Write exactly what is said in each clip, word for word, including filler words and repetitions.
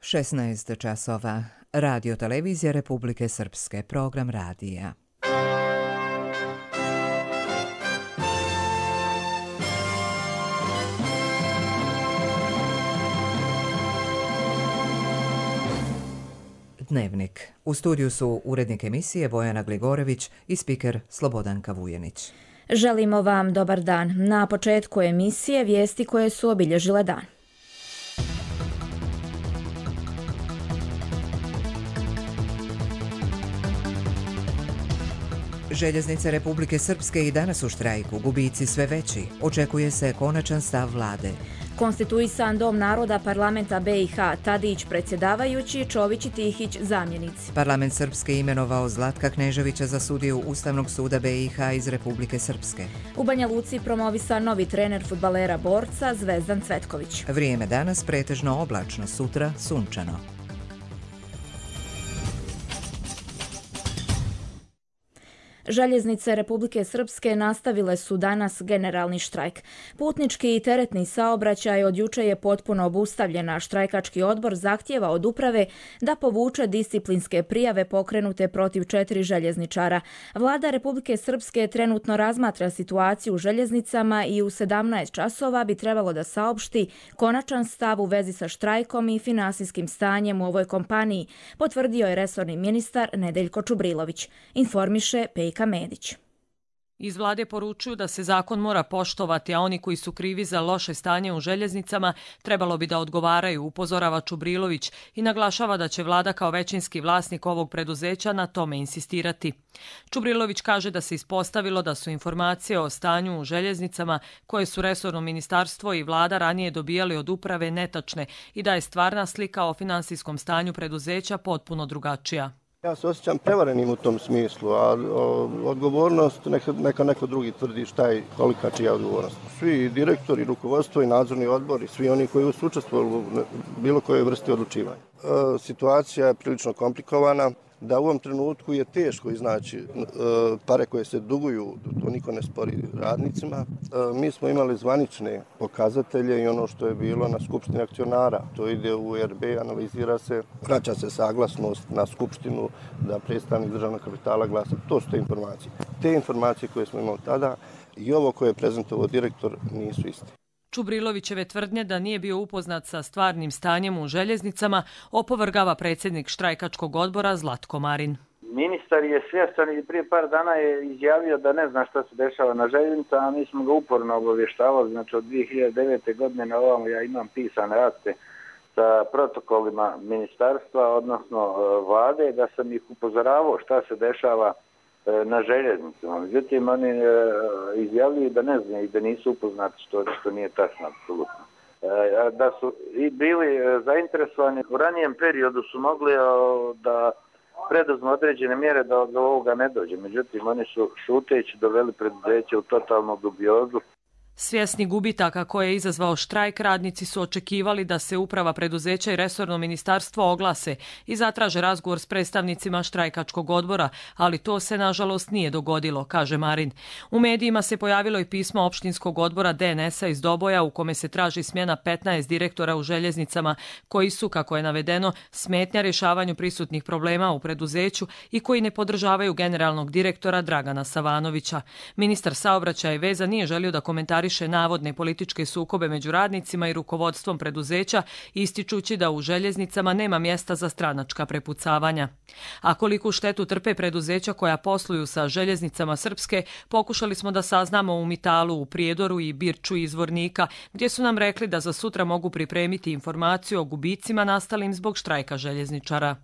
šesnaest časova. Radio televizija Republike Srpske. Program radija. Dnevnik. U studiju su urednik emisije Bojana Gligorević i spiker Slobodanka Vujenić. Želimo vam dobar dan. Na početku emisije vijesti koje su obilježile dan. Željeznice Republike Srpske i danas u štrajku, gubici sve veći. Očekuje se konačan stav vlade. Konstituisan Dom naroda parlamenta B i H, Tadić predsjedavajući, Čović i Tihić zamjenici. Parlament Srpske imenovao Zlatka Kneževića za sudiju Ustavnog suda B i H iz Republike Srpske. U Banja Luci promovisan novi trener fudbalera borca Zvezdan Cvetković. Vrijeme danas pretežno oblačno, sutra sunčano. Željeznice Republike Srpske nastavile su danas generalni štrajk. Putnički i teretni saobraćaj od juče je potpuno obustavljen, a štrajkački odbor zahtijeva od uprave da povuče disciplinske prijave pokrenute protiv četiri željezničara. Vlada Republike Srpske trenutno razmatra situaciju u željeznicama i u sedamnaest časova bi trebalo da saopšti konačan stav u vezi sa štrajkom i finansijskim stanjem u ovoj kompaniji, potvrdio je resorni ministar Nedeljko Čubrilović. Informiše Pejka Medić. Iz vlade poručuju da se zakon mora poštovati, a oni koji su krivi za loše stanje u željeznicama trebalo bi da odgovaraju, upozorava Čubrilović i naglašava da će vlada kao većinski vlasnik ovog preduzeća na tome insistirati. Čubrilović kaže da se ispostavilo da su informacije o stanju u željeznicama koje su resorno ministarstvo i vlada ranije dobijali od uprave netačne i da je stvarna slika o finansijskom stanju preduzeća potpuno drugačija. Ja se osjećam prevarenim u tom smislu, a odgovornost neka, neka neko drugi tvrdi šta je, kolika čija odgovornost. Svi direktori, rukovodstvo i nadzorni odbori, svi oni koji su učestvovali u bilo kojoj vrsti odlučivanja. E, situacija je prilično komplikovana, da u ovom trenutku je teško iznaći e, pare koje se duguju, to niko ne spori radnicima. E, mi smo imali zvanične pokazatelje i ono što je bilo na skupštini akcionara. To ide u R B, analizira se, vraća se saglasnost na skupštinu da predstavnik državnog kapitala glasa. To su te informacije. Te informacije koje smo imali tada i ovo koje je prezentovao direktor nisu iste. Čubrilovićeve tvrdnje da nije bio upoznat sa stvarnim stanjem u željeznicama opovrgava predsjednik štrajkačkog odbora Zlatko Marin. Ministar je svjestan i prije par dana je izjavio da ne zna šta se dešava na željeznicama, a mi smo ga uporno obavještavali, znači od dvije hiljade devete. godine na ovamo ja imam pisane akte sa protokolima ministarstva, odnosno vlade, da sam ih upozoravao šta se dešava na željeznicama. Međutim, oni e, izjavljuju da ne znaju i da nisu upoznati, što, što nije tačno, apsolutno. E, da su i bili zainteresovani u ranijem periodu su mogli e, da preduzmu određene mjere da do ovoga ne dođe. Međutim, oni su šuteći doveli preduzeće u totalnu dubiozu. Svjesni gubitaka koje je izazvao štrajk, radnici su očekivali da se uprava preduzeća i resorno ministarstvo oglase i zatraže razgovor s predstavnicima štrajkačkog odbora, ali to se nažalost nije dogodilo, kaže Marin. U medijima se pojavilo i pismo opštinskog odbora D N S-a iz Doboja u kome se traži smjena petnaest direktora u željeznicama koji su, kako je navedeno, smetnja rješavanju prisutnih problema u preduzeću i koji ne podržavaju generalnog direktora Dragana Savanovića. Ministar saobraćaja i veza nije želio da komentari navodne političke sukobe među radnicima i rukovodstvom preduzeća, ističući da u željeznicama nema mjesta za stranačka prepucavanja. A koliku štetu trpe preduzeća koja posluju sa željeznicama Srpske, pokušali smo da saznamo u Mitalu, u Prijedoru i Birču iz Zvornika, gdje su nam rekli da za sutra mogu pripremiti informaciju o gubicima nastalim zbog štrajka željezničara.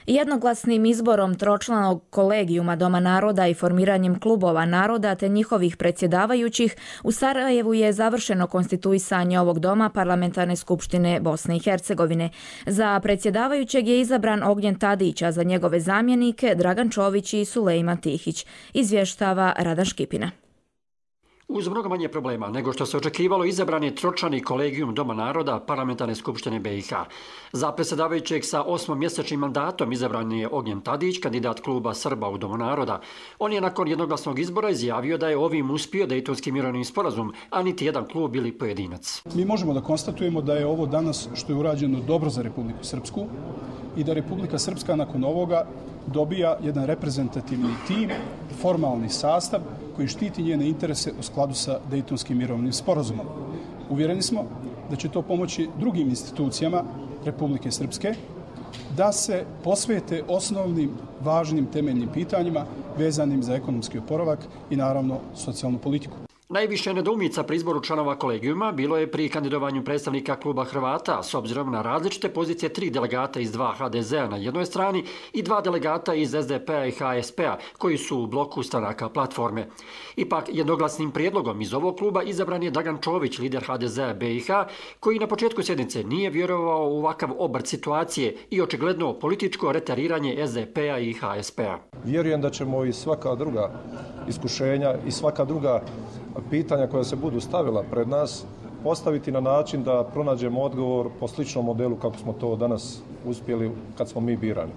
Jednoglasnim izborom tročlanog kolegijuma Doma naroda i formiranjem klubova naroda te njihovih predsjedavajućih u Sarajevu je završeno konstituisanje ovog doma Parlamentarne skupštine Bosne i Hercegovine. Za predsjedavajućeg je izabran Ognjen Tadić, a za njegove zamjenike Dragan Čović i Sulejman Tihić, izvještava Radan Škipina. Uz mnogo manje problema nego što se očekivalo, izabran je tročlani kolegijum Doma naroda Parlamentarne skupštine B i H. Za predsjedavajućeg sa osmomjesečnim mandatom izabran je Ognjen Tadić, kandidat kluba Srba u Domu naroda. On je nakon jednoglasnog izbora izjavio da je ovim uspio Dejtonski mirovni sporazum, a niti jedan klub ili pojedinac. Mi možemo da konstatujemo da je ovo danas što je urađeno dobro za Republiku Srpsku i da Republika Srpska nakon ovoga dobija jedan reprezentativni tim, formalni sastav koji štiti njene interese u skladu sa Dejtonskim mirovnim sporazumom. Uvjereni smo da će to pomoći drugim institucijama Republike Srpske da se posvete osnovnim, važnim, temeljnim pitanjima vezanim za ekonomski oporavak i naravno socijalnu politiku. Najviše nedoumica pri izboru članova kolegijuma bilo je pri kandidovanju predstavnika kluba Hrvata, s obzirom na različite pozicije tri delegata iz dva H D Z a na jednoj strani i dva delegata iz S D P a i H S P a, koji su u bloku stranaka platforme. Ipak, jednoglasnim prijedlogom iz ovog kluba izabran je Dragan Čović, lider H D Z a B i H, koji na početku sjednice nije vjerovao u ovakav obrt situacije i očigledno političko retariranje S D P a i H S P a. Vjerujem da ćemo i svaka druga iskušenja i svaka druga pitanja koja se budu stavila pred nas postaviti na način da pronađemo odgovor po sličnom modelu kako smo to danas uspjeli kad smo mi birani.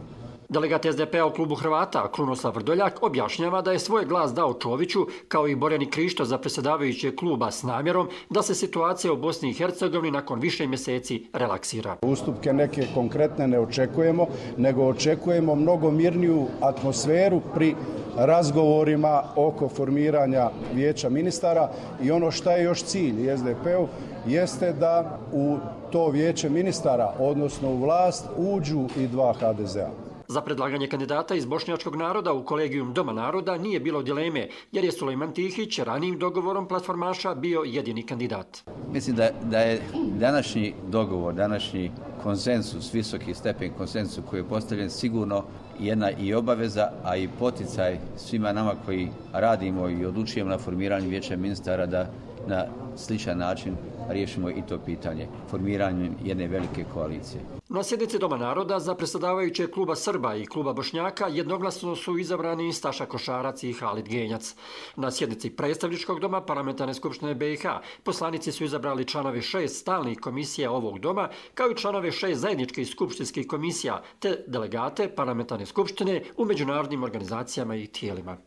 Delegat S D P a u klubu Hrvata, Krunoslav Vrdoljak, objašnjava da je svoj glas dao Čoviću, kao i Borjani Krišto za predsjedavajućeg kluba, s namjerom da se situacija u Bosni i Hercegovini nakon više mjeseci relaksira. Ustupke neke konkretne ne očekujemo, nego očekujemo mnogo mirniju atmosferu pri razgovorima oko formiranja vijeća ministara i ono što je još cilj S D P u jeste da u to vijeće ministara, odnosno u vlast, uđu i dva H D Z a. Za predlaganje kandidata iz bošnjačkog naroda u kolegijum Doma naroda nije bilo dileme, jer je Sulejman Tihić ranijim dogovorom platformaša bio jedini kandidat. Mislim da, da je današnji dogovor, današnji konsensus, visoki stepen konsensusa koji je postavljen sigurno jedna i obaveza, a i poticaj svima nama koji radimo i odlučujemo na formiranju vijeća ministara da na sličan način riješimo i to pitanje formiranjem jedne velike koalicije. Na sjednici Doma naroda za predsjedavajuće kluba Srba i kluba Bošnjaka jednoglasno su izabrani Staša Košarac i Halid Genjac. Na sjednici predstavničkog doma Parlamentarne skupštine B i H poslanici su izabrali članove šest stalnih komisija ovog doma, kao i članove šest zajedničkih skupštinskih komisija, te delegate Parlamentarne skupštine u međunarodnim organizacijama i tijelima.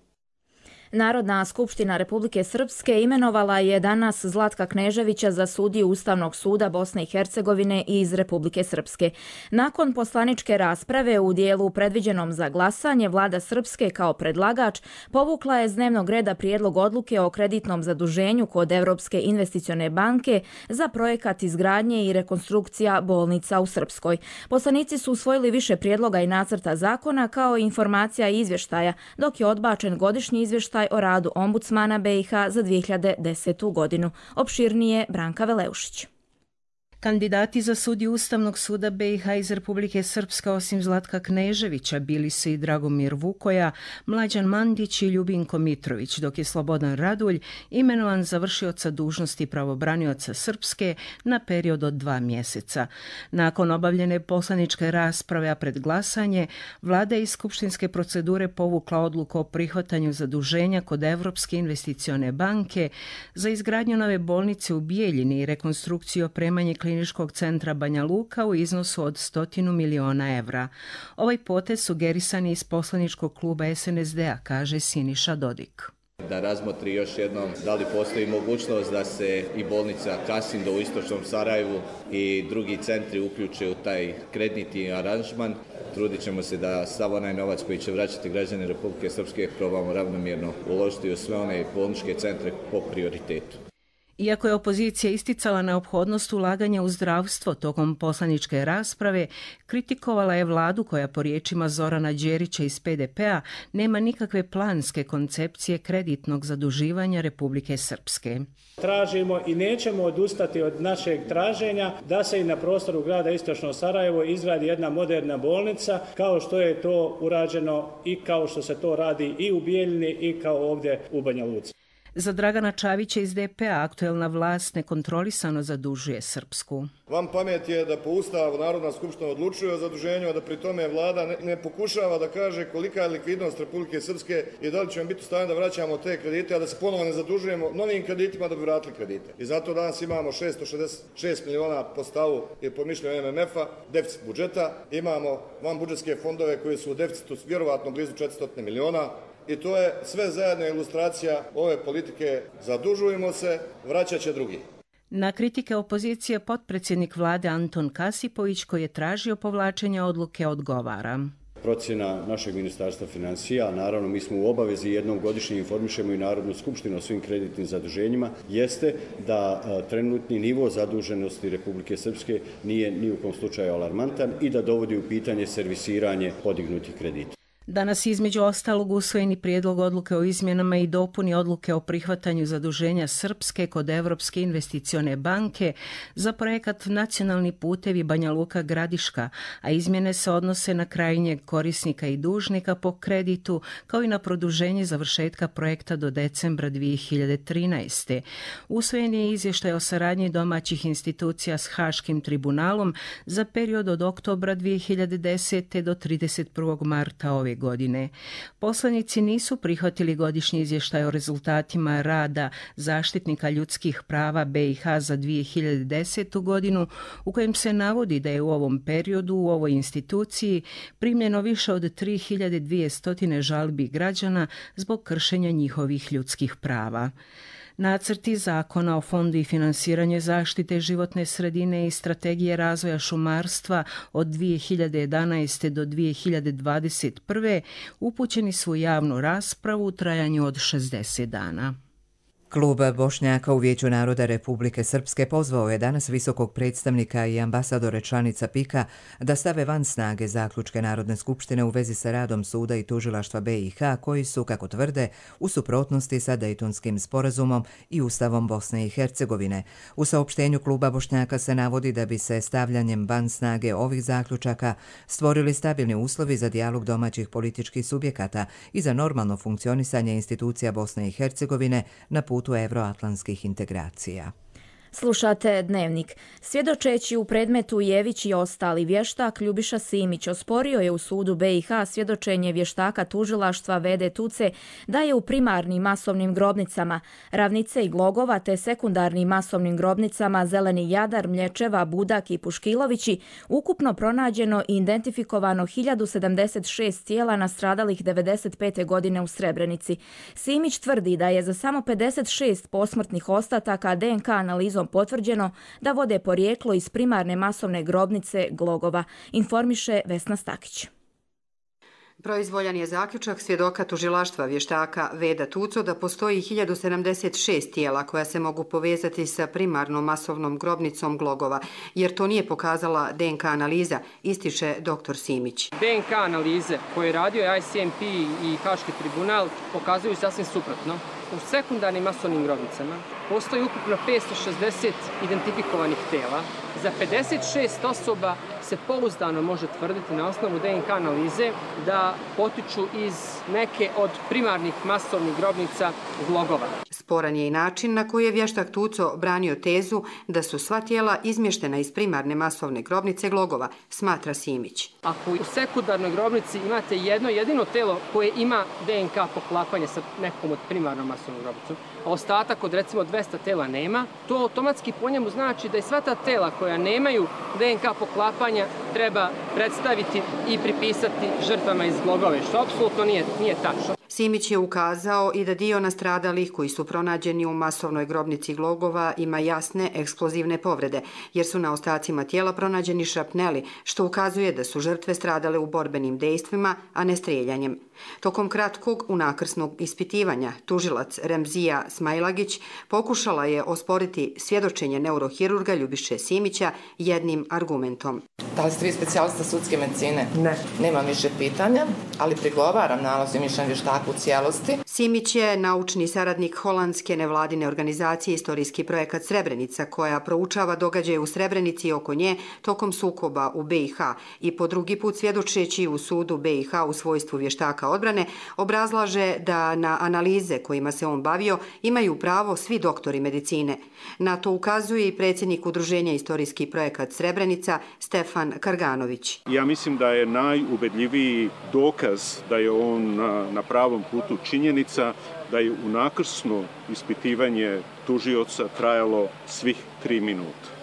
Narodna skupština Republike Srpske imenovala je danas Zlatka Kneževića za sudiju Ustavnog suda Bosne i Hercegovine iz Republike Srpske. Nakon poslaničke rasprave u dijelu predviđenom za glasanje, vlada Srpske kao predlagač povukla je s dnevnog reda prijedlog odluke o kreditnom zaduženju kod Evropske investicione banke za projekat izgradnje i rekonstrukcija bolnica u Srpskoj. Poslanici su usvojili više prijedloga i nacrta zakona kao i informacija i izvještaja, dok je odbačen godišnji izvještaj o radu ombudsmana B i H za dvije hiljade desetu godinu. Opširnije Branka Veleušić. Kandidati za sudiju Ustavnog suda B i H iz Republike Srpske osim Zlatka Kneževića bili su i Dragomir Vukoja, Mlađan Mandić i Ljubinko Mitrović, dok je Slobodan Radulj imenovan za vršioca dužnosti pravobranioca Srpske na period od dva mjeseca. Nakon obavljene poslaničke rasprave, a pred glasanje, vlada iz skupštinske procedure povukla odluku o prihvatanju zaduženja kod Evropske investicione banke za izgradnju nove bolnice u Bijeljini i rekonstrukciju i opremanje Kliničkog centra Banja Luka u iznosu od stotinu miliona evra. Ovaj potez sugerisan je iz poslaničkog kluba S N S D a, kaže Siniša Dodik. Da razmotri još jednom da li postoji mogućnost da se i bolnica Kasindo u istočnom Sarajevu i drugi centri uključe u taj kreditni aranžman. Trudit ćemo se da sav onaj novac koji će vraćati građani Republike Srpske probamo ravnomjerno uložiti u sve one bolničke centre po prioritetu. Iako je opozicija isticala neophodnost ulaganja u zdravstvo tokom poslaničke rasprave, kritikovala je vladu koja po riječima Zorana Đerića iz P D P a nema nikakve planske koncepcije kreditnog zaduživanja Republike Srpske. Tražimo i nećemo odustati od našeg traženja da se i na prostoru grada Istočno Sarajevo izgradi jedna moderna bolnica, kao što je to urađeno i kao što se to radi i u Bijeljini i kao ovdje u Banja Luci. Za Dragana Čavića iz D P A aktuelna vlast nekontrolisano zadužuje Srpsku. Vam pamet je da po Ustavu Narodna skupština odlučuje o zaduženju, a da pri tome vlada ne, ne pokušava da kaže kolika je likvidnost Republike Srpske i da li ćemo biti u stanju da vraćamo te kredite, a da se ponovo ne zadužujemo novim kreditima da bi vratili kredite. I zato danas imamo šesto šezdeset šest miliona po stavu i po mišljenju M M F-a, deficit budžeta, imamo van budžetske fondove koji su u deficitu vjerovatno blizu četiristo miliona. I to je sve zajedno ilustracija ove politike zadužujemo se, vraćat će drugi. Na kritike opozicije potpredsjednik vlade Anton Kasipović, koji je tražio povlačenje odluke, odgovara. Procjena našeg ministarstva financija, naravno mi smo u obavezi jednom godišnje informišemo i Narodnu skupštinu o svim kreditnim zaduženjima, jeste da a, trenutni nivo zaduženosti Republike Srpske nije ni u kom slučaju alarmantan i da dovodi u pitanje servisiranje podignutih kredita. Danas između ostalog usvojeni prijedlog odluke o izmjenama i dopuni odluke o prihvatanju zaduženja Srpske kod Evropske investicione banke za projekat Nacionalni putevi Banja Luka Gradiška, a izmjene se odnose na krajnjeg korisnika i dužnika po kreditu, kao i na produženje završetka projekta do decembra dvije hiljade trinaeste. Usvojen je izvještaj o saradnji domaćih institucija s Haškim tribunalom za period od oktobra dvije hiljade desete do trideset prvog marta ove godine. Poslanici nisu prihvatili godišnji izvještaj o rezultatima rada zaštitnika ljudskih prava B i H za dvije hiljade desetu godinu, u kojem se navodi da je u ovom periodu u ovoj instituciji primljeno više od tri hiljade dvjesto žalbi građana zbog kršenja njihovih ljudskih prava. Nacrti zakona o fondu i finansiranje zaštite životne sredine i strategije razvoja šumarstva od dvije hiljade jedanaeste do dvije hiljade dvadeset prve upućeni su u javnu raspravu u trajanju od šezdeset dana. Klub Bošnjaka u Vijeću naroda Republike Srpske pozvao je danas visokog predstavnika i ambasadore članica P I K-a da stave van snage zaključke Narodne skupštine u vezi sa radom suda i tužilaštva B i H, koji su, kako tvrde, u suprotnosti sa Dejtonskim sporazumom i Ustavom Bosne i Hercegovine. U saopštenju Kluba Bošnjaka se navodi da bi se stavljanjem van snage ovih zaključaka stvorili stabilni uslovi za dijalog domaćih političkih subjekata i za normalno funkcionisanje institucija Bosne i Hercegovine na putu evroatlantskih integracija. Slušate Dnevnik. Svjedočeći u predmetu Jević i ostali, vještak Ljubiša Simić osporio je u sudu B i H svjedočenje vještaka tužilaštva Vede Tuce da je u primarnim masovnim grobnicama Ravnice i Glogova te sekundarnim masovnim grobnicama Zeleni Jadar, Mlječeva, Budak i Puškilovići ukupno pronađeno i identifikovano hiljadu sedamdeset šest tijela nastradalih devedeset pete godine u Srebrenici. Simić tvrdi da je za samo pedeset šest posmrtnih ostataka D N K analizom potvrđeno da vode porijeklo iz primarne masovne grobnice Glogova, informiše Vesna Stakić. Proizvoljan je zaključak svjedoka tužilaštva vještaka Veda Tuco da postoji hiljadu sedamdeset šest tijela koja se mogu povezati sa primarnom masovnom grobnicom Glogova, jer to nije pokazala D N K analiza, ističe doktor Simić. D N K analize koje je radio I C M P i Haški tribunal pokazuju sasvim suprotno. U sekundarnim masovnim grobnicama postoji ukupno petsto šezdeset identifikovanih tela. Za pedeset šest osoba se pouzdano može tvrditi na osnovu D N K analize da potiču iz neke od primarnih masovnih grobnica Glogova. Sporan je i način na koji je vještak Tuco branio tezu da su sva tijela izmještena iz primarne masovne grobnice Glogova, smatra Simić. Ako u sekundarnoj grobnici imate jedno jedino telo koje ima D N K poklapanje sa nekom od primarnom masovnom grobnicom, a ostatak od recimo dvesta tela nema, to automatski po njemu znači da i sva ta tela koja nemaju D N K poklapanja treba predstaviti i pripisati žrtvama iz Glogove, što apsolutno nije, nije tačno. Simić je ukazao i da dio nastradalih koji su pronađeni u masovnoj grobnici Glogova ima jasne eksplozivne povrede, jer su na ostacima tijela pronađeni šrapneli, što ukazuje da su žrtve stradale u borbenim dejstvima, a ne streljanjem. Tokom kratkog unakrsnog ispitivanja, tužilac Remzija Smajlagić pokušala je osporiti svjedočenje neurohirurga Ljubiše Simića jednim argumentom. Da li ste vi specijalista sudske medicine? Ne. Nemam više pitanja, ali prigovaram nalaz i mišljenje vještaka u cijelosti. Simić je naučni saradnik holandske nevladine organizacije Istorijski projekat Srebrenica, koja proučava događaje u Srebrenici i oko nje tokom sukoba u B i H i po drugi put svjedočeći u sudu B i H u svojstvu vještaka odbrane, obrazlaže da na analize kojima se on bavio imaju pravo svi doktori medicine. Na to ukazuje i predsjednik Udruženja Istorijski projekat Srebrenica Stefan Karganović. Ja mislim da je najubedljiviji dokaz da je on na, na pravom putu činjenica da je unakrsno ispitivanje tužioca trajalo svih tri minuta.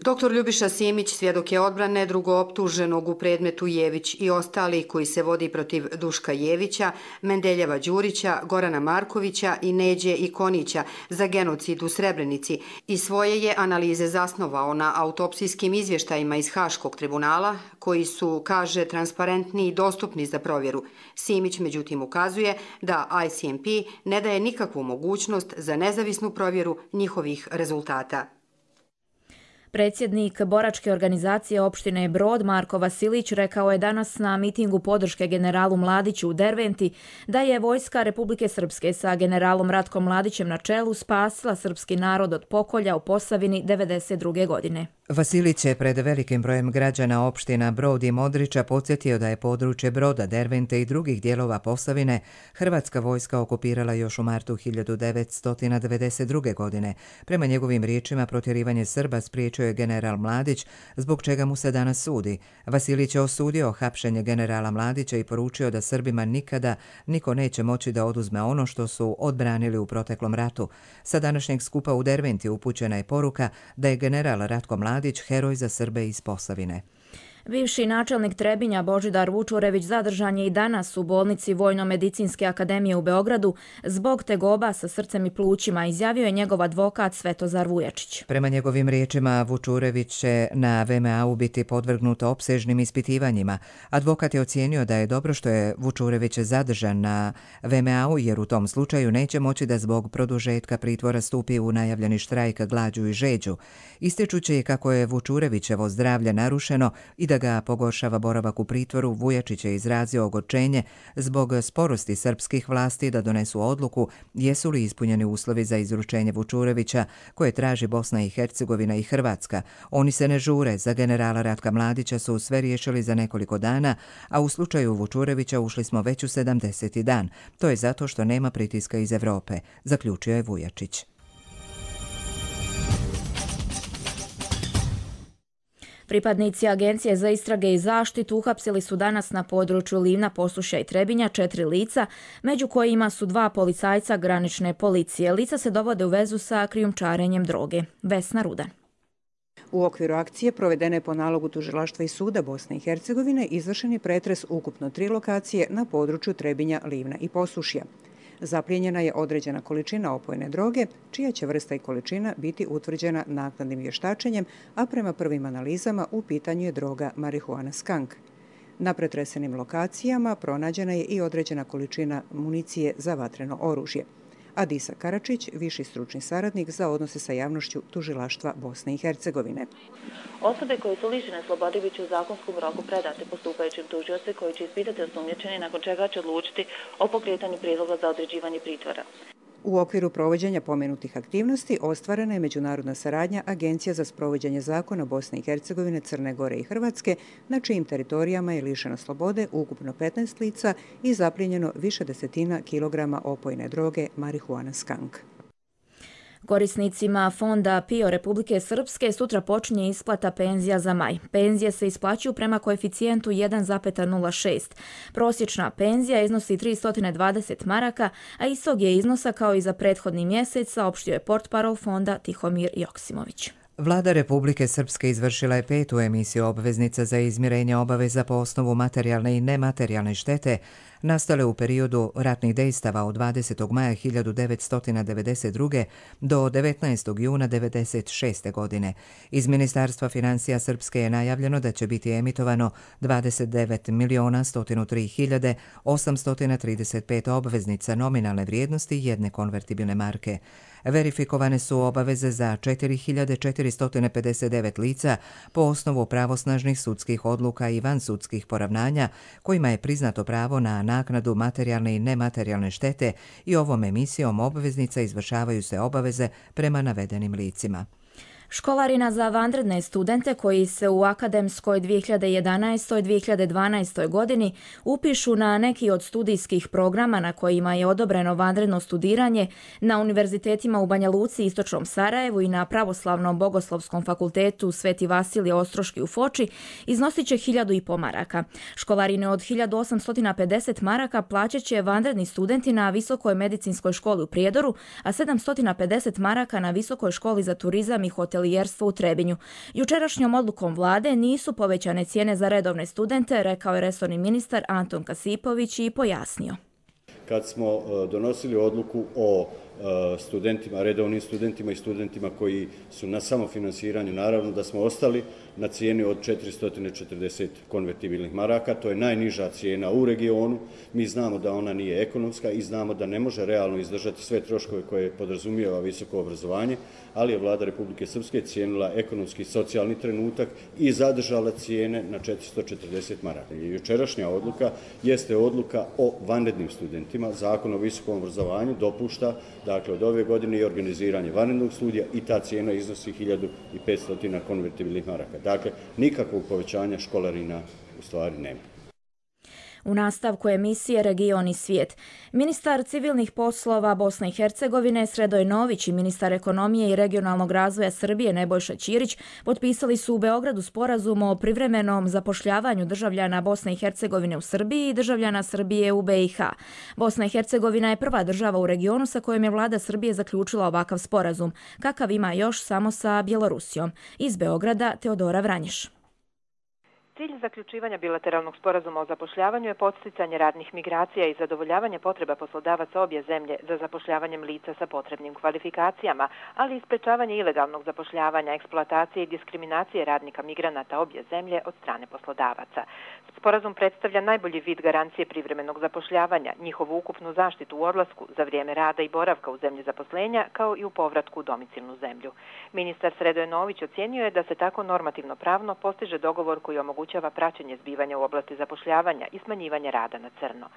Doktor Ljubiša Simić svjedok je odbrane drugooptuženog u predmetu Jević i ostali koji se vodi protiv Duška Jevića, Mendeljeva Đurića, Gorana Markovića i Neđe Ikonića za genocid u Srebrenici i svoje je analize zasnovao na autopsijskim izvještajima iz Haškog tribunala koji su, kaže, transparentni i dostupni za provjeru. Simić međutim ukazuje da I C M P ne daje nikakvu mogućnost za nezavisnu provjeru njihovih rezultata. Predsjednik boračke organizacije opštine Brod Marko Vasilić rekao je danas na mitingu podrške generalu Mladiću u Derventi da je vojska Republike Srpske sa generalom Ratkom Mladićem na čelu spasila srpski narod od pokolja u Posavini devedeset druge godine. Vasilić je pred velikim brojem građana opština Brod i Modrića podsjetio da je područje Broda, Dervente i drugih dijelova Posavine hrvatska vojska okupirala još u martu hiljadu devetsto devedeset druge. godine. Prema njegovim riječima protjerivanje Srba spriječio je general Mladić, zbog čega mu se danas sudi. Vasilić je osudio hapšenje generala Mladića i poručio da Srbima nikada niko neće moći da oduzme ono što su odbranili u proteklom ratu. Sa današnjeg skupa u Derventi upućena je poruka da je general Ratko Mladić heroj za Srbe iz Posavine. Bivši načelnik Trebinja Božidar Vučurević zadržan je i danas u bolnici Vojno-medicinske akademije u Beogradu zbog tegoba sa srcem i plućima, izjavio je njegov advokat Svetozar Vujačić. Prema njegovim riječima, Vučurević će na V M A-u biti podvrgnuto opsežnim ispitivanjima. Advokat je ocijenio da je dobro što je Vučurević zadržan na V M A-u jer u tom slučaju neće moći da zbog produžetka pritvora stupi u najavljeni štrajk, glađu i žeđu. Ističući kako je Vučurevićevo zdravlje narušeno i da ga pogoršava boravak u pritvoru, Vujačić je izrazio ogorčenje zbog sporosti srpskih vlasti da donesu odluku jesu li ispunjeni uslovi za izručenje Vučurevića koje traži Bosna i Hercegovina i Hrvatska. Oni se ne žure, za generala Ratka Mladića su sve riješili za nekoliko dana, a u slučaju Vučurevića ušli smo već u sedamdeseti dan. To je zato što nema pritiska iz Evrope, zaključio je Vujačić. Pripadnici Agencije za istrage i zaštitu uhapsili su danas na području Livna, Posušja i Trebinja četiri lica, među kojima su dva policajca granične policije. Lica se dovode u vezu sa krijumčarenjem droge. Vesna Rudan. U okviru akcije provedene po nalogu Tužilaštva i suda Bosne i Hercegovine izvršen je pretres ukupno tri lokacije na području Trebinja, Livna i Posušja. Zaplijenjena je određena količina opojne droge, čija će vrsta i količina biti utvrđena naknadnim vještačenjem, a prema prvim analizama u pitanju je droga marihuana skunk. Na pretresenim lokacijama pronađena je i određena količina municije za vatreno oružje. Adisa Karačić, viši stručni saradnik za odnose sa javnošću Tužilaštva Bosne i Hercegovine. Osobe koje su lišene slobode bit će u zakonskom roku predate postupajućim tužioci koji će ispitati osumnjičeni, nakon čega će odlučiti o pokretanju prijedloga za određivanje pritvora. U okviru provođenja pomenutih aktivnosti ostvarena je međunarodna saradnja Agencija za sprovođenje zakona Bosne i Hercegovine, Crne Gore i Hrvatske, na čijim teritorijama je lišeno slobode ukupno petnaest lica i zaplijenjeno više desetina kilograma opojne droge marihuana skunk. Korisnicima fonda P I O Republike Srpske sutra počinje isplata penzija za maj. Penzije se isplaćuju prema koeficijentu jedan zarez nula šest. Prosječna penzija iznosi tristo dvadeset maraka, a istog je iznosa kao i za prethodni mjesec, saopštio je portparol fonda Tihomir Joksimović. Vlada Republike Srpske izvršila je petu emisiju obveznica za izmirenje obaveza po osnovu materijalne i nematerijalne štete, nastale u periodu ratnih dejstava od dvadesetog maja hiljadu devetsto devedeset druge do devetnaestog juna devedeset šeste. godine. Iz Ministarstva financija Srpske je najavljeno da će biti emitovano dvadeset devet miliona sto tri hiljade osamsto trideset pet obveznica nominalne vrijednosti jedne konvertibilne marke. Verifikovane su obaveze za četiri hiljade četiristo pedeset devet lica po osnovu pravosnažnih sudskih odluka i vansudskih poravnanja kojima je priznato pravo na naknadu materijalne i nematerijalne štete i ovom emisijom obveznica izvršavaju se obaveze prema navedenim licima. Školarina za vanredne studente koji se u akademskoj dvije hiljade jedanaestoj dvije hiljade dvanaestoj. godini upišu na neki od studijskih programa na kojima je odobreno vanredno studiranje na univerzitetima u Banja Luci i Istočnom Sarajevu i na Pravoslavnom bogoslovskom fakultetu Sveti Vasilije Ostroški u Foči iznosit će hiljadu i po maraka. Školarine od hiljadu osamsto pedeset maraka plaćat će vanredni studenti na Visokoj medicinskoj školi u Prijedoru, a sedamsto pedeset maraka na Visokoj školi za turizam i hotel u Trebinju. Jučerašnjom odlukom vlade nisu povećane cijene za redovne studente, rekao je resorni ministar Anton Kasipović i pojasnio. Kad smo donosili odluku o studentima, redovnim studentima i studentima koji su na samofinansiranju, naravno da smo ostali na cijeni od četiristo četrdeset konvertibilnih maraka. To je najniža cijena u regionu. Mi znamo da ona nije ekonomska i znamo da ne može realno izdržati sve troškove koje podrazumijeva visoko obrazovanje, ali je vlada Republike Srpske cijenila ekonomski i socijalni trenutak i zadržala cijene na četiristo četrdeset maraka. Jučerašnja odluka jeste odluka o vanrednim studentima. Zakon o visokom obrazovanju dopušta dakle od ove godine i organiziranje vanrednog studija i ta cijena iznosi hiljadu petsto konvertibilnih maraka. Dakle, nikakvog povećanja školarina u stvari nema. U nastavku emisije Region i svijet. Ministar civilnih poslova Bosne i Hercegovine Sredoj Nović i ministar ekonomije i regionalnog razvoja Srbije Nebojša Ćirić potpisali su u Beogradu sporazum o privremenom zapošljavanju državljana Bosne i Hercegovine u Srbiji i državljana Srbije u B i H. Bosna i Hercegovina je prva država u regionu sa kojom je vlada Srbije zaključila ovakav sporazum, kakav ima još samo sa Bjelorusijom. Iz Beograda Teodora Vranješ. Cilj zaključivanja bilateralnog sporazuma o zapošljavanju je podsticanje radnih migracija i zadovoljavanje potreba poslodavaca obje zemlje za zapošljavanjem lica sa potrebnim kvalifikacijama, ali i sprečavanje ilegalnog zapošljavanja, eksploatacije i diskriminacije radnika migranata obje zemlje od strane poslodavaca. Sporazum predstavlja najbolji vid garancije privremenog zapošljavanja, njihovu ukupnu zaštitu u odlasku za vrijeme rada i boravka u zemlji zaposlenja, kao i u povratku u domicilnu zemlju. Ministar Sredoje Nović ocijenio je da se tako normativno pravno postiže dogovor koji omogućava praćenje zbivanja u oblasti zapošljavanja i smanjivanje rada na crno.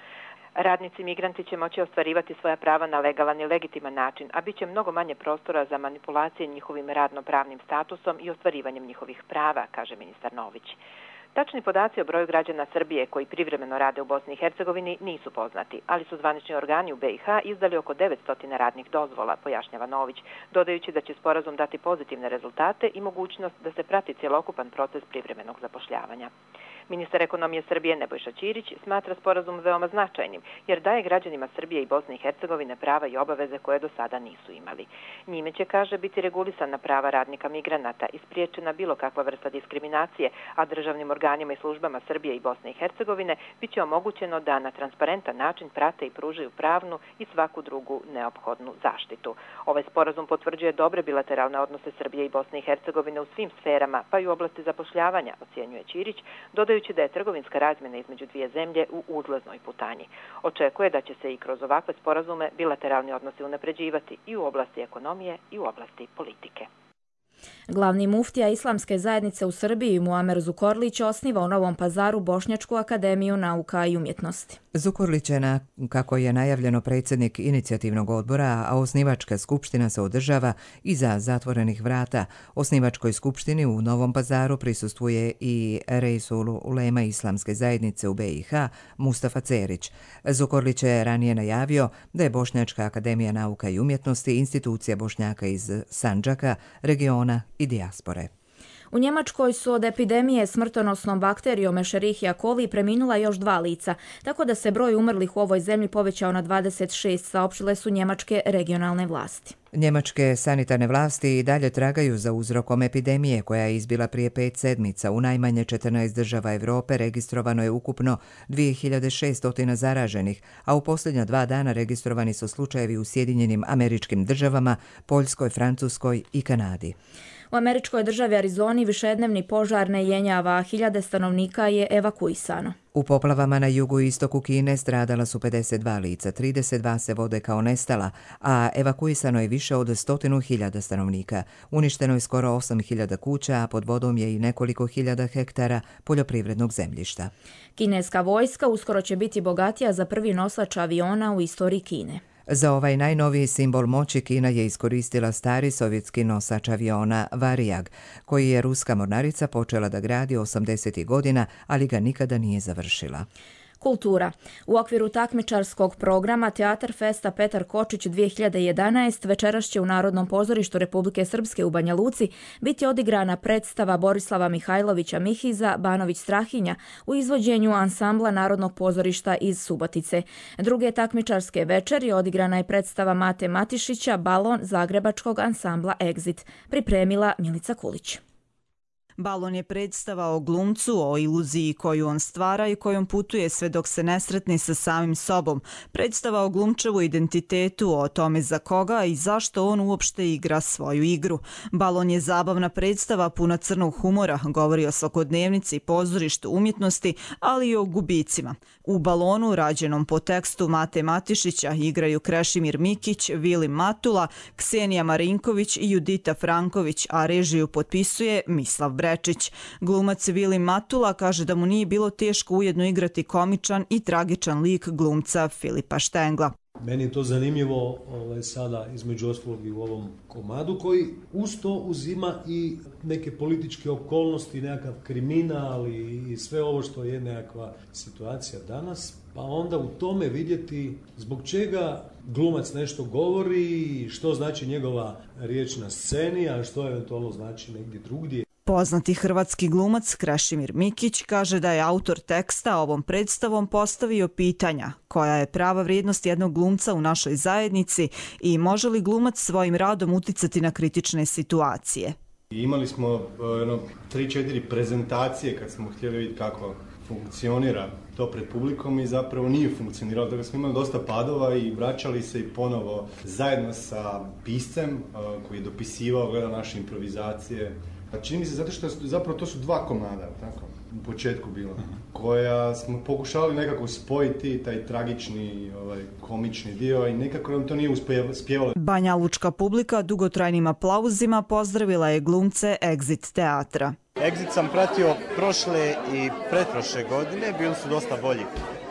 Radnici migranti će moći ostvarivati svoja prava na legalan i legitiman način, a bit će mnogo manje prostora za manipulacije njihovim radno-pravnim statusom i ostvarivanjem njihovih prava, kaže ministar Nović. Tačni podaci o broju građana Srbije koji privremeno rade u Bosni i Hercegovini nisu poznati, ali su zvanični organi u B i H izdali oko devetsto radnih dozvola, pojašnjava Nović, dodajući da će sporazum dati pozitivne rezultate i mogućnost da se prati cjelokupan proces privremenog zapošljavanja. Ministar ekonomije Srbije Nebojša Ćirić smatra sporazum veoma značajnim, jer daje građanima Srbije i Bosne i Hercegovine prava i obaveze koje do sada nisu imali. Njime će, kaže, biti regulisana prava radnika migranata i spriječena bilo kakva vrsta diskriminacije, a državnim organima i službama Srbije i Bosne i Hercegovine bit će omogućeno da na transparentan način prate i pružaju pravnu i svaku drugu neophodnu zaštitu. Ovaj sporazum potvrđuje dobre bilateralne odnose Srbije i Bosne i Hercegovine u svim sferama, pa i u oblasti zapošljavanja, ocjenjuje Ćirić, dodajući da je trgovinska razmjena između dvije zemlje u uzlaznoj putanji. Očekuje da će se i kroz ovakve sporazume bilateralni odnosi unapređivati i u oblasti ekonomije i u oblasti politike. Glavni muftija Islamske zajednice u Srbiji Muamer Zukorlić osniva u Novom Pazaru Bošnjačku akademiju nauka i umjetnosti. Zukorlić je, na, kako je najavljeno, predsjednik inicijativnog odbora, a osnivačka skupština se održava iza zatvorenih vrata. Osnivačkoj skupštini u Novom Pazaru prisustvuje i Reisul Ulema Islamske zajednice u B i H Mustafa Cerić. Zukorlić je ranije najavio da je Bošnjačka akademija nauka i umjetnosti institucija Bošnjaka iz Sandžaka, regiona i dijaspore. U Njemačkoj su od epidemije smrtonosnom bakterijom Escherichia coli preminula još dva lica, tako da se broj umrlih u ovoj zemlji povećao na dvadeset šest, saopštile su njemačke regionalne vlasti. Njemačke sanitarne vlasti i dalje tragaju za uzrokom epidemije koja je izbila prije pet sedmica. U najmanje četrnaest država Europe registrovano je ukupno dvije hiljade šesto zaraženih, a u posljednja dva dana registrovani su slučajevi u Sjedinjenim Američkim Državama, Poljskoj, Francuskoj i Kanadi. U američkoj državi Arizoni višednevni požar ne jenjava, a hiljade stanovnika je evakuisano. U poplavama na jugu i istoku Kine stradala su pedeset dva lica, trideset dva se vode kao nestala, a evakuisano je više od stotinu hiljada stanovnika. Uništeno je skoro osam hiljada kuća, a pod vodom je i nekoliko hiljada hektara poljoprivrednog zemljišta. Kineska vojska uskoro će biti bogatija za prvi nosač aviona u istoriji Kine. Za ovaj najnoviji simbol moći Kina je iskoristila stari sovjetski nosač aviona Varijag, koji je ruska mornarica počela da gradi osamdesetih godina, ali ga nikada nije završila. Kultura. U okviru takmičarskog programa Teatar Festa Petar Kočić dvije hiljade jedanaeste večeras će u Narodnom pozorištu Republike Srpske u Banja Luci biti odigrana predstava Borislava Mihajlovića Mihiza Banović Strahinja u izvođenju ansambla Narodnog pozorišta iz Subotice. Druge takmičarske večeri odigrana je predstava Mate Matišića Balon zagrebačkog ansambla Exit. Pripremila Milica Kulić. Balon je predstava o glumcu, o iluziji koju on stvara i kojom putuje sve dok se ne sretne sa samim sobom. Predstava o glumčevu identitetu, o tome za koga i zašto on uopšte igra svoju igru. Balon je zabavna predstava puna crnog humora, govori o svakodnevnici, pozorištu, umjetnosti, ali i o gubicima. U Balonu, rađenom po tekstu Mate Matišića, igraju Krešimir Mikić, Vili Matula, Ksenija Marinković i Judita Franković, a režiju potpisuje Mislav Brečić. Glumac Vili Matula kaže da mu nije bilo teško ujedno igrati komičan i tragičan lik glumca Filipa Štengla. Meni je to zanimljivo ovaj, sada između ostalog i u ovom komadu koji uz to uzima i neke političke okolnosti, nekakav kriminal i, i sve ovo što je nekakva situacija danas. Pa onda u tome vidjeti zbog čega glumac nešto govori, što znači njegova riječ na sceni, a što eventualno znači negdje drugdje. Poznati hrvatski glumac Krešimir Mikić kaže da je autor teksta ovom predstavom postavio pitanja koja je prava vrijednost jednog glumca u našoj zajednici i može li glumac svojim radom uticati na kritične situacije. Imali smo jedno tri četiri prezentacije kad smo htjeli vidjeti kako funkcionira to pred publikom i zapravo nije funkcioniralo. Dakle, smo imali dosta padova i vraćali se i ponovo zajedno sa piscem koji je dopisivao, gleda naše improvizacije. Čini mi se zato što zapravo to su dva komada, tako, u početku bilo, koja smo pokušali nekako spojiti, taj tragični, ovaj, komični dio i nekako nam to nije uspjevalo. Banja Lučka publika dugotrajnim aplauzima pozdravila je glumce Exit teatra. Exit sam pratio prošle i pretprošle godine, bili su dosta bolji.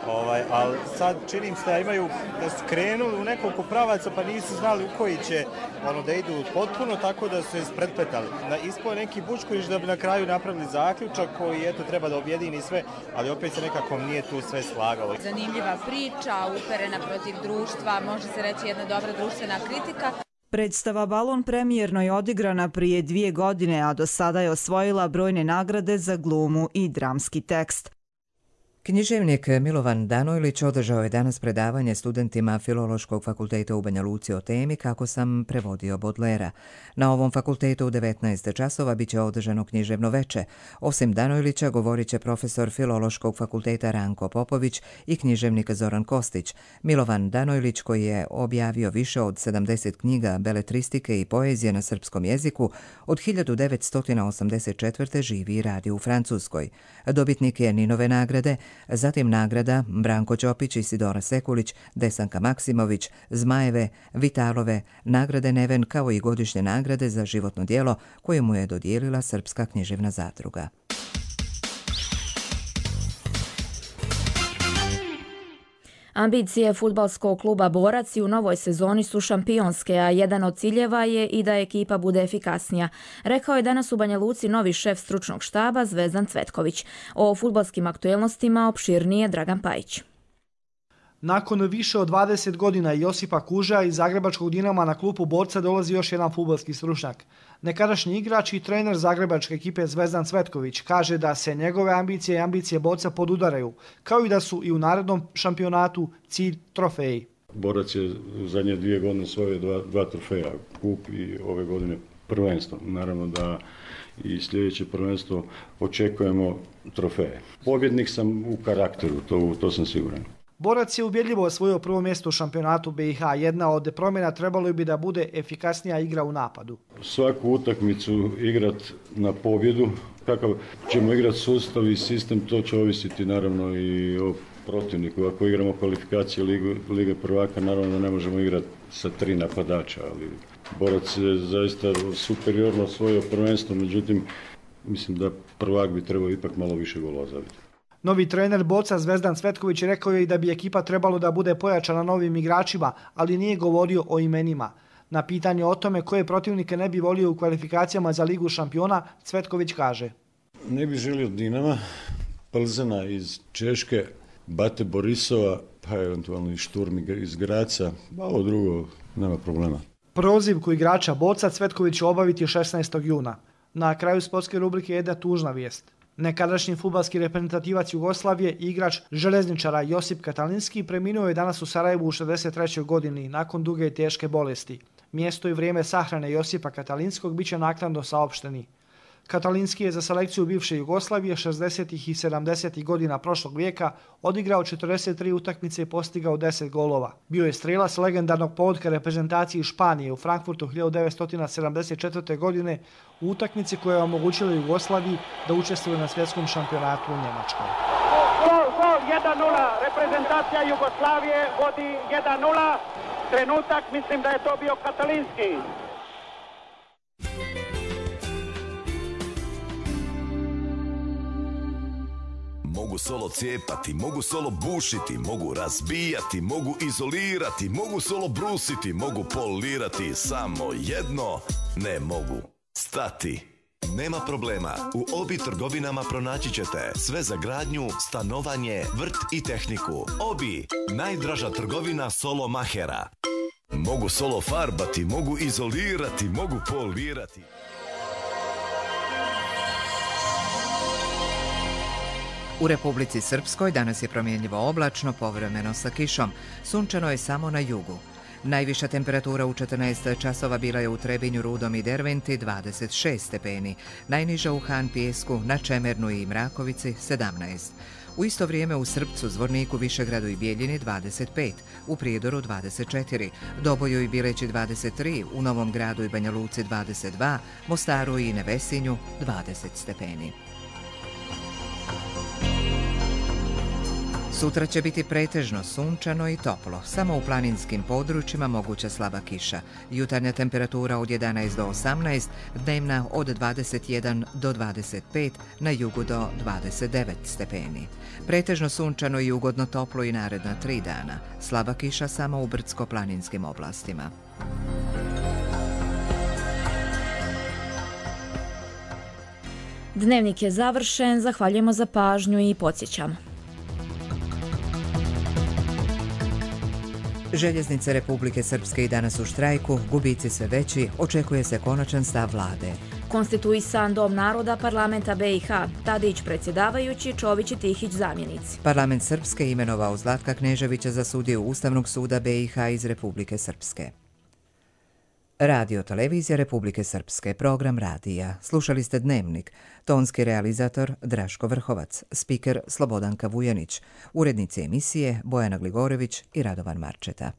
Ovaj, ali sad čini im se da imaju, da su krenuli u nekoliko pravaca pa nisu znali u koji će ono, da idu potpuno, tako da su se ispretpetali. Ispao je neki Bučković da bi na kraju napravili zaključak koji eto treba da objedini sve, ali opet se nekako nije tu sve slagalo. Zanimljiva priča, uperena protiv društva, može se reći jedna dobra društvena kritika. Predstava Balon premijerno je odigrana prije dvije godine, a do sada je osvojila brojne nagrade za glumu i dramski tekst. Književnik Milovan Danojlić održao je danas predavanje studentima Filološkog fakulteta u Banja Luci o temi Kako sam prevodio Bodlera. Na ovom fakultetu u devetnaest časova biće održano književno veče. Osim Danojlića govorit će profesor Filološkog fakulteta Ranko Popović i književnik Zoran Kostić. Milovan Danojlić, koji je objavio više od sedamdeset knjiga beletristike i poezije na srpskom jeziku, od hiljadu devetsto osamdeset četvrte živi i radi u Francuskoj. Dobitnik je Ninove nagrade, zatim nagrada Branko Ćopić, Isidora Sekulić, Desanka Maksimović, Zmajeve, Vitalove, nagrade Neven kao i godišnje nagrade za životno djelo koje mu je dodijelila Srpska književna zadruga. Ambicije fudbalskog kluba Borac i u novoj sezoni su šampionske, a jedan od ciljeva je i da ekipa bude efikasnija. Rekao je danas u Banja Luci novi šef stručnog štaba Zvezdan Cvetković. O fudbalskim aktuelnostima opširnije Dragan Pajić. Nakon više od dvadeset godina Josipa Kuža iz Zagrebačkog Dinama na klupu borca dolazi još jedan fudbalski stručnjak. Nekadašnji igrač i trener zagrebačke ekipe Zvezdan Cvetković kaže da se njegove ambicije i ambicije borca podudaraju, kao i da su i u narednom šampionatu cilj trofeji. Borac je u zadnje dvije godine osvojio dva, dva trofeja, kup i ove godine prvenstvo. Naravno da i sljedeće prvenstvo očekujemo trofeje. Pobjednik sam u karakteru, to, to sam siguran. Borac je ubjedljivo osvojio prvo mjesto u šampionatu B i H. Jedna od promjena trebalo bi da bude efikasnija igra u napadu. Svaku utakmicu igrat na pobjedu. Kakav ćemo igrati sustav i sistem, to će ovisiti naravno i o protivniku. Ako igramo kvalifikacije Lige, Lige prvaka, naravno da ne možemo igrati sa tri napadača, ali Borac je zaista superiorno osvojio prvenstvo, međutim mislim da prvak bi trebao ipak malo više golova zabiti. Novi trener borca Zvezdan Cvetković rekao je i da bi ekipa trebalo da bude pojačana novim igračima, ali nije govorio o imenima. Na pitanje o tome koje protivnike ne bi volio u kvalifikacijama za Ligu šampiona, Cvetković kaže: Ne bi želio Dinama, Plzena iz Češke, Bate Borisova, pa eventualno i Šturm iz Graca, a ovo drugo nema problema. Prozivku igrača borca Cvetković će obaviti šesnaestog juna. Na kraju sportske rubrike jedna tužna vijest. Nekadašnji fudbalski reprezentativac Jugoslavije i igrač željezničara Josip Katalinski preminuo je danas u Sarajevu u šezdeset trećoj godini nakon duge i teške bolesti. Mjesto i vrijeme sahrane Josipa Katalinskog bit će naknadno saopšteni. Katalinski je za selekciju bivše Jugoslavije šezdesetih i sedamdesetih godina prošlog vijeka odigrao četrdeset tri utakmice i postigao deset golova. Bio je strelac legendarnog povodka reprezentaciji Španije u Frankfurtu hiljadu devetsto sedamdeset četvrte. godine u utakmici koja je omogućila Jugoslaviji da učestvuje na svjetskom šampionatu u Njemačkoj. Gol, gol, jedan nula, reprezentacija Jugoslavije vodi jedan nula, trenutak, mislim da je to bio Katalinski. Mogu solo cijepati, mogu solo bušiti, mogu razbijati, mogu izolirati, mogu solo brusiti, mogu polirati, samo jedno ne mogu stati. Nema problema, u Obi trgovinama pronaći ćete sve za gradnju, stanovanje, vrt i tehniku. Obi, najdraža trgovina solo mahera. Mogu solo farbati, mogu izolirati, mogu polirati. U Republici Srpskoj danas je promjenjivo oblačno, povremeno sa kišom. Sunčano je samo na jugu. Najviša temperatura u četrnaest časova bila je u Trebinju, Rudom i Derventi dvadeset šest stepeni, najniža u Han Pijesku, na Čemernu i Mrakovici sedamnaest. U isto vrijeme u Srpcu, Zvorniku, Višegradu i Bijeljini dvadeset pet, u Prijedoru dvadeset četiri, Doboju i Bileći dvadeset tri, u Novom Gradu i Banja Luci dvadeset dva, Mostaru i Nevesinju dvadeset stepeni. Sutra će biti pretežno sunčano i toplo, samo u planinskim područjima moguća slaba kiša. Jutarnja temperatura od jedanaest do osamnaest, dnevna od dvadeset jedan do dvadeset pet, na jugu do dvadeset devet stepeni. Pretežno sunčano i ugodno toplo i naredna tri dana, slaba kiša samo u brdsko-planinskim oblastima. Dnevnik je završen, zahvaljujemo za pažnju i podsjećamo. Željeznice Republike Srpske i danas u štrajku, gubici sve veći, očekuje se konačan stav vlade. Konstituisan Dom naroda parlamenta B i H, Tadić predsjedavajući, Čović i Tihić zamjenici. Parlament Srpske imenovao Zlatka Kneževića za sudiju Ustavnog suda B i H iz Republike Srpske. Radio Televizija Republike Srpske, program radija. Slušali ste Dnevnik. Tonski realizator Draško Vrhovac, spiker Slobodanka Vujanić, urednici emisije Bojana Gligorević i Radovan Marčeta.